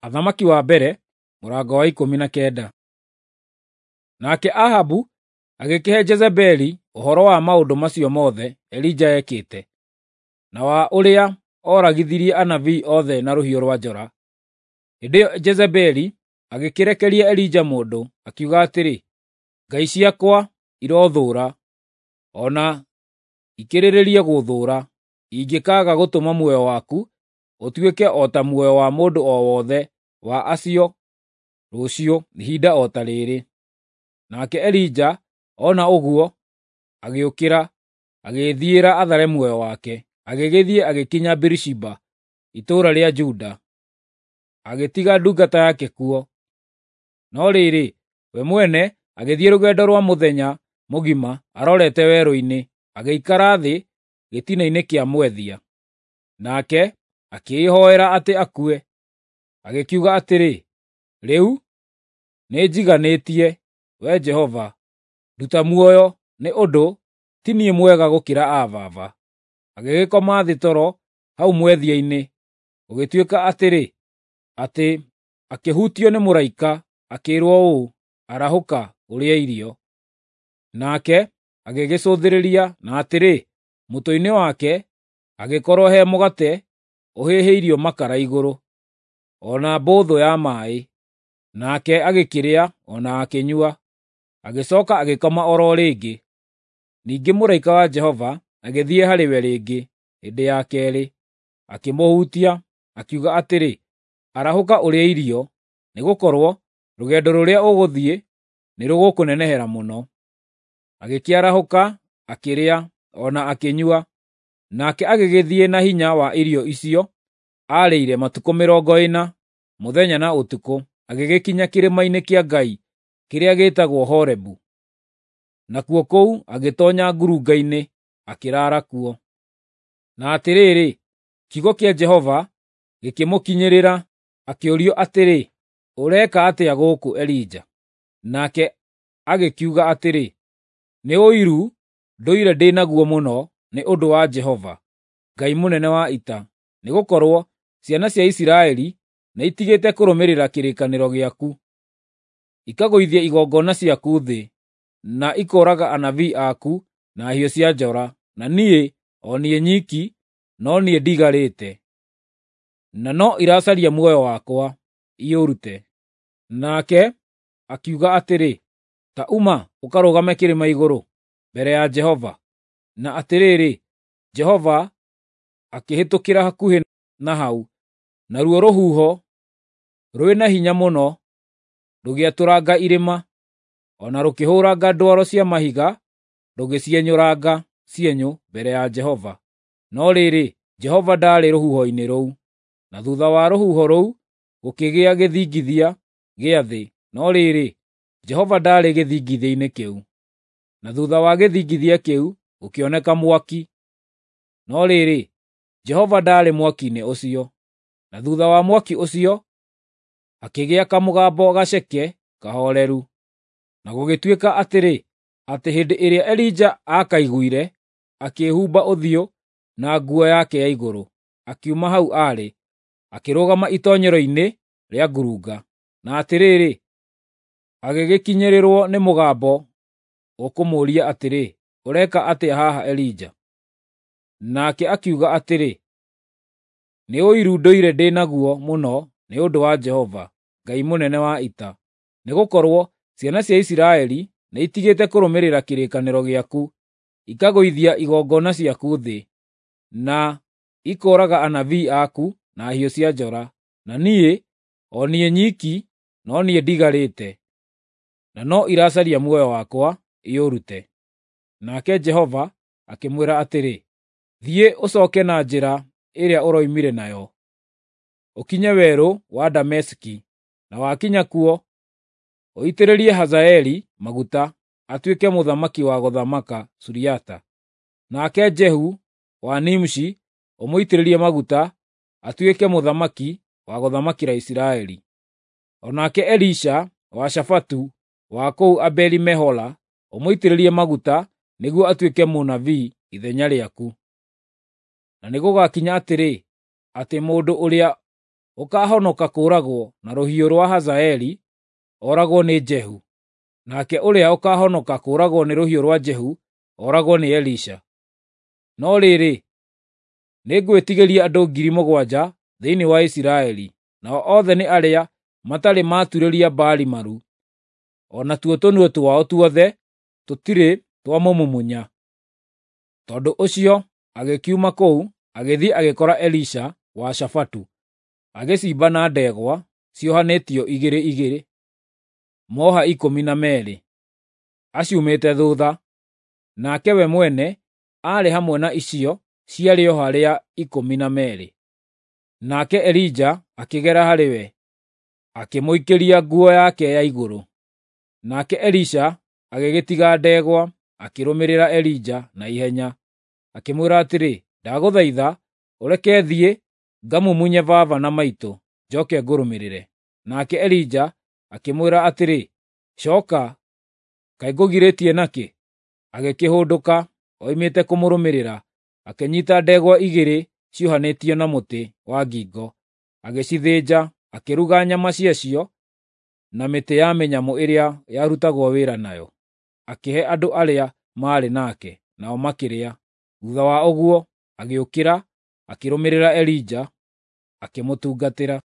Athamaki wa mbere mũrango wa 19. Nake Ahabu agĩkĩhe Jezebeli ũhoro wa maũndũ macio mothe Elija ekĩte, na wa ũrĩa oragithirie anabii othe na rũhiũ rwa njora. Hĩndĩ ĩyo Jezebeli agĩkĩrekeria Elija mũndũ, akiuga atĩrĩ, “Ngai ciakwa irothũũra, o na ikĩrĩrĩrie gũthũũra, ingĩkaaga gũtũma muoyo waku ũtuĩke o ta muoyo wa mũndũ o wothe wa acio rũciũ ihinda o ta rĩrĩ.” Nake Elija ona ũguo agĩũkĩra, agĩĩthiĩra athare muoyo wake, agĩgĩthiĩ agĩkinya Birishiba, itũũra rĩa Juda, agĩtiga ndungata yake kuo. No rĩrĩ, we mwene agĩthiĩ rũgendo rwa mũthenya mũgima arorete werũ-inĩ, agĩikara thĩ gĩtina-inĩ kĩa mwethia. Nake akĩĩhoera atĩ akue, agĩkiuga atĩrĩ, “Rĩu nĩnjiganĩtie, Wee Jehova, nduta muoyo nĩ ũndũ ti niĩ mwega gũkĩra aa baba.” Agĩgĩkoma thĩ toro hau mwethia-inĩ. Gũgĩtuĩka atĩrĩ, atĩ akĩhutio nĩ mũraika, akĩĩrwo ũũ, “Arahũka, ũrĩe irio.” Nake agĩgĩcũthĩrĩria, na atĩrĩ, mũtwe-inĩ wake hagĩkorwo he mũgate ũhĩhĩirio makara igũrũ, o na mbũthũ ya maaĩ. Nake agĩkĩrĩa o na akĩnyua, agĩcooka agĩkoma o ro rĩngĩ. Ningĩ mũraika wa Jehova agĩthiĩ harĩ we rĩngĩ hĩndĩ ya keerĩ, akĩmũhutia, akiuga atĩrĩ, “Arahũka ũrĩe irio, nĩgũkorwo rũgendo rũrĩa ũgũthiĩ nĩrũgũkũnenehera mũno.” Agĩkĩarahũka, akĩrĩa o na akĩnyua. Nake agĩgĩthiĩ na hinya wa irio icio aarĩire matukũ 40, mũthenya na ũtukũ, agĩgĩkinya kĩrĩma-inĩ kĩa Ngai kĩrĩa gĩĩtagwo Horebu. Nakuo kũu agĩtoonya ngurunga-inĩ, akĩraara kuo. Na atĩrĩrĩ, kiugo kĩa Jehova gĩkĩmũkinyĩrĩra, akĩũrio atĩrĩ, “Ũreka atĩa gũkũ, Elija?” Nake agĩkiuga atĩrĩ, “Nĩ ũiru ndũire ndĩ naguo mũno nĩ ũndũ wa Jehova, Ngai mũnene wa ita, nĩgũkorwo ciana cia Isiraeli nĩitigĩte kũrũmĩrĩra kĩrĩkanĩro gĩaku, ikagũithia igongona ciaku thĩ, na ikooraga anabii aku na hiũ cia njora, na niĩ, o niĩ nyiki, no niĩ ndigarĩte, na no iracaria muoyo wakwa iũrute.” Nake akiuga atĩrĩ, “Ta uma ũkarũgame kĩrĩma igũrũ mbere ya Jehova.” Na atĩrĩrĩ, Jehova akĩhĩtũkĩra hakuhĩ na hau, naruo rũhuho rwĩna hinya mũno rũgĩatũranga irĩma, o na rũkĩhũũranga ndwaro cia mahiga rũgĩcienyũranga cienyũ mbere ya Jehova. No rĩrĩ, Jehova ndaarĩ rũhuho-inĩ rũu. Na thuutha wa rũhuho rũu gũkĩgĩa gĩthingithia gĩa thĩ, no rĩrĩ, Jehova ndaarĩ gĩthingithia-inĩ kĩu. Na thuutha wa gĩthingithia kĩu gũkĩoneka mwaki, no rĩrĩ, Jehova ndaarĩ mwaki-inĩ ũcio. Na thuutha wa mwaki ũcio hakĩgĩa kamũgambo gaceke kahooreru. Na gũgĩtuĩka atĩrĩ, atĩ hĩndĩ ĩrĩa Elija aakaiguire, akĩĩhumba ũthiũ na nguo yake ya igũrũ, akiuma hau aarĩ, akĩrũgama itoonyero-inĩ rĩa ngurunga. Na atĩrĩrĩ, agĩgĩkinyĩrĩrwo nĩ mũgambo ũkũmũũria atĩrĩ, “Ũreka atĩa haha, Elija?” Nake akiuga atĩrĩ, “Nĩ ũiru ndũire ndĩ naguo mũno nĩ ũndũ wa Jehova, Ngai mũnene wa ita, nĩgũkorwo ciana cia Isiraeli nĩitigĩte kũrũmĩrĩra kĩrĩkanĩro gĩaku, ikagũithia igongona ciaku thĩ, na ikooraga anabii aku na hiũ cia njora. Na niĩ, o niĩ nyiki, no niĩ ndigarĩte, na no iracaria muoyo wakwa iũrute.” Nake Jehova akĩmwĩra atĩrĩ, “Thiĩ ũcooke na njĩra ĩrĩa ũroimire nayo, ũkinye werũ wa Dameski, na wakinya kuo, ũitĩrĩrie Hazaeli maguta atuĩke mũthamaki wa gũthamaka Suriata. Nake Jehu wa Nimshi ũmũitĩrĩrie maguta atuĩke mũthamaki wa gũthamakĩra Isiraeli. O nake Elisha wa Shafatu wa kũu Abeli-Mehola ũmũitĩrĩrie maguta nĩguo atuĩke mũnabii ithenya rĩaku. Na nĩgũgakinya atĩrĩ, atĩ mũndũ ũrĩa ũkaahonoka kũũragwo na rũhiũ rwa Hazaeli, ooragwo nĩ Jehu, nake ũrĩa ũkaahonoka kũũragwo nĩ rũhiũ rwa Jehu, ooragwo nĩ Elisha. No rĩrĩ, nĩngwĩtigĩria andũ 7,000 thĩinĩ wa Isiraeli, nao othe nĩ arĩa matarĩ maaturĩria Baali maru, o natuo tũnua twao tuothe tũtirĩ twamũmumunya." Tondũ ũcio agĩkiuma kũu agĩthiĩ agĩkora Elisha wa Shafatu, agĩcimba na ndegwa ciohanĩtio igĩrĩ igĩrĩ, moha 12, aciumĩte thuutha, nake we mwene aarĩ hamwe na icio cia rĩoha rĩa 12. Nake Elija akĩgera harĩ we, akĩmũikĩria nguo yake ya igũrũ. Nake Elisha agĩgĩtiga ndegwa, akĩrũmĩrĩra Elija na ihenya, akĩmwĩra atĩrĩ, “Ndagũthaitha ũreke thiĩ ngamumunye baba na maitũ, njoke ngũrũmĩrĩre.” Nake Elija akĩmwĩra atĩrĩ, “Cooka, kaĩ ngũgirĩtie nakĩ?” Agĩkĩhũndũka oimĩte kũmũrũmĩrĩra, akĩnyiita ndegwa igĩrĩ ciohanĩtio na mũtĩ wa ngingo, agĩcithĩnja, akĩruga nyama ciacio na mĩtĩ ya mĩnyamũ ĩrĩa yarutagwo wĩra nayo, akĩhe andũ arĩa maarĩ nake, nao makĩrĩa. Thuutha wa ũguo agĩũkĩra, akĩrũmĩrĩra Elija, akĩmũtungatĩra.